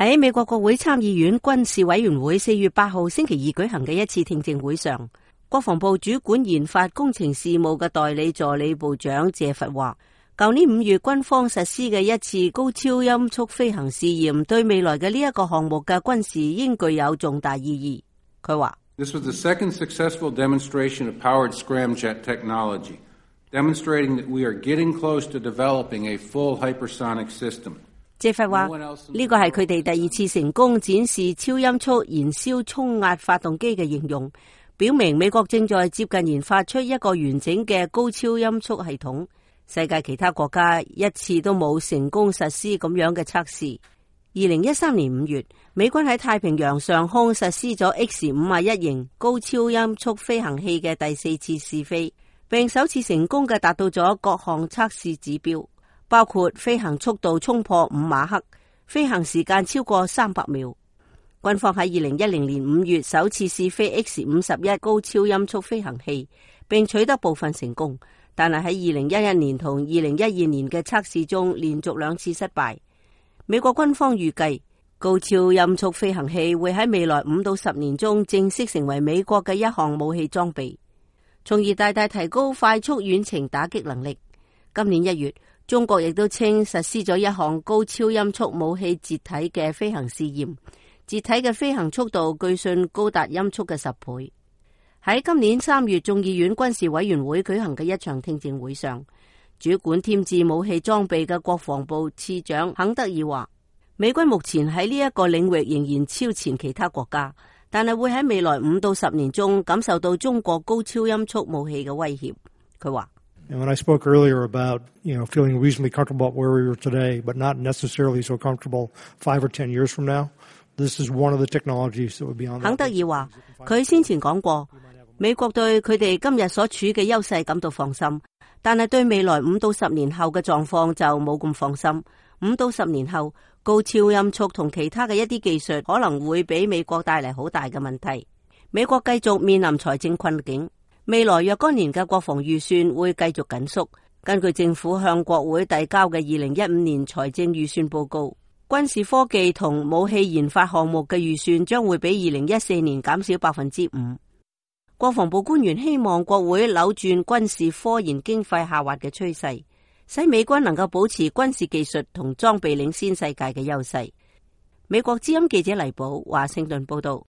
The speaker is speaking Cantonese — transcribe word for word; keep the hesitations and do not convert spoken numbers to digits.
喺美國國會參議院軍事委員會四月八號星期二舉行嘅一次聽證會上，國防部主管研發工程事務嘅代理助理部長謝佛話，舊年五月軍方實施嘅一次高超音速飛行試驗，對未來嘅呢一個項目嘅軍事應具有重大意義。佢話：This was the second successful demonstration of powered scramjet technology, demonstrating that we are getting close to developing a full hypersonic system. 謝佛話：呢個係佢哋第二次成功展示超音速燃燒衝壓發動機嘅應用，表明美國正在接近研發出一個完整嘅高超音速系統。世界其他國家一次都冇成功實施咁樣嘅測試。二零一三年五月，美軍喺太平洋上空實施咗 X 五十一型高超音速飛行器嘅第四次試飛，並首次成功嘅達到咗各項測試指標。包括飛行速度衝破五馬赫，飛行時間超過三百秒。軍方喺二零一零年五月首次試飛 X 五十一高超音速飛行器，並取得部分成功，但係喺二零一一年同二零一二年嘅測試中連續兩次失敗。美國軍方預計高超音速飛行器會喺未來五到十年中正式成為美國嘅一項武器裝備，從而大大提高快速遠程打擊能力。今年一月，中國亦都稱實施咗一項高超音速武器截體嘅飛行試驗，截體嘅飛行速度據信高達音速嘅十倍。喺今年三月眾議院軍事委員會舉行嘅一場聽證會上，主管添置武器裝備嘅國防部次長肯德爾話，美軍目前喺呢一個領域仍然超前其他國家，但係會喺未來五到十年中感受到中國高超音速武器嘅威脅。佢話And when I spoke earlier about, you know, feeling reasonably comfortable where we were today, but not necessarily so comfortable five or ten years from now, this is one of the technologies that would be on. 肯德爾話，佢先前講過，美國對佢哋今日所處嘅優勢感到放心，但係對未來五到十年後嘅狀況就冇咁放心。五到十年後，高超音速同其他嘅一啲技術可能會俾美國帶嚟好大嘅問題。美國繼續面臨財政困境。未來若干年嘅國防預算會繼續緊縮。根據政府向國會遞交嘅二零一五年財政預算報告，軍事科技同武器研發項目嘅預算將會比二零一四年減少百分之五。國防部官員希望國會扭轉軍事科研經費下滑嘅趨勢，使美軍能夠保持軍事技術同裝備領先世界嘅優勢。美國之音記者黎寶華盛頓報道。